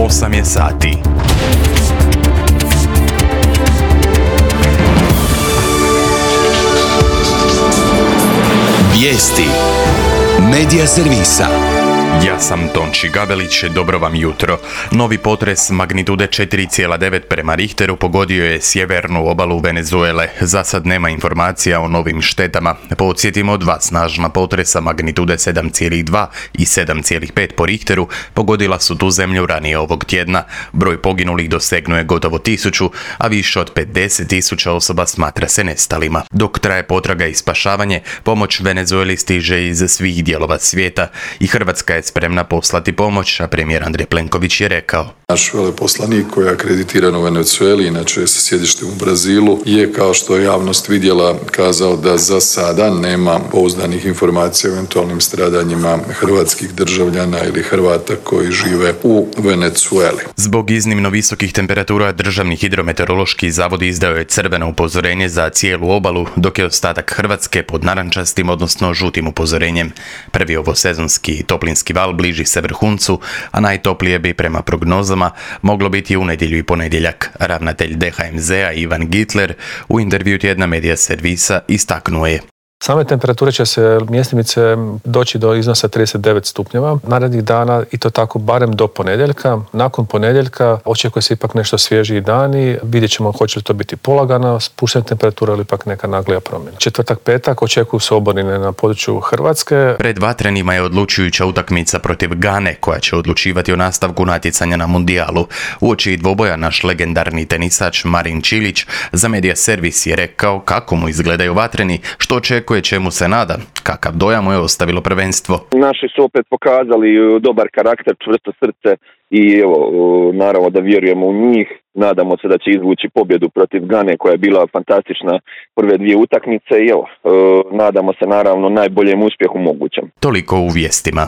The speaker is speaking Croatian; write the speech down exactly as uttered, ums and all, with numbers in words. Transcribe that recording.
osam je sati. Vijesti Medija servisa. Ja sam Tonči Gabelić, dobro vam jutro. Novi potres magnitude četiri zarez devet prema Richteru pogodio je sjevernu obalu Venezuele. Za sad nema informacija o novim štetama. Podsjetimo, dva snažna potresa magnitude sedam zarez dva i sedam zarez pet po Richteru pogodila su tu zemlju ranije ovog tjedna. Broj poginulih dosegnuje gotovo tisuću, a više od pedeset tisuća osoba smatra se nestalima. Dok traje potraga i spašavanje, pomoć Venezueli stiže iz svih dijelova svijeta i Hrvatska je spremna poslati pomoć, a premijer Andrej Plenković je rekao: Naš veleposlanik koji je akreditiran u Venezueli, inače sa sjedištem u Brazilu, je, kao što je javnost vidjela, kazao da za sada nema pouzdanih informacija o eventualnim stradanjima hrvatskih državljana ili Hrvata koji žive u Venezueli. Zbog iznimno visokih temperatura Državni hidrometeorološki zavod izdao je crveno upozorenje za cijelu obalu, dok je ostatak Hrvatske pod narančastim, odnosno žutim upozorenjem. Prvi ovosezonski toplinski val bliži se vrhuncu, a najtoplije bi prema prognozama moglo biti u nedjelju i ponedjeljak. Ravnatelj D H M Z-a Ivan Gitler u intervju tjedna Medija servisa istaknuo je: Same temperature će se mjestimice doći do iznosa trideset devet stupnjeva narednih dana i to tako barem do ponedjeljka. Nakon ponedjeljka očekuje se ipak nešto svježiji dani. Vidjet ćemo hoće li to biti polagana spuštena temperatura ili ipak neka naglija promjena. Četvrtak, petak očekuju se oborine na području Hrvatske. Pred vatrenima je odlučujuća utakmica protiv Gane koja će odlučivati o nastavku natjecanja na mundijalu. Uoči dvoboja naš legendarni tenisač Marin Čilić za Medija servis je rekao kako mu izgledaju vatreni, što očekuje, čemu se nada, kakav dojam mu je ostavilo prvenstvo. Naši su opet pokazali dobar karakter, čvrsto srce i evo, naravno da vjerujemo u njih. Nadamo se da će izvući pobjedu protiv Gane koja je bila fantastična prve dvije utakmice i evo, nadamo se naravno najboljem uspjehu mogućem. Toliko u vijestima.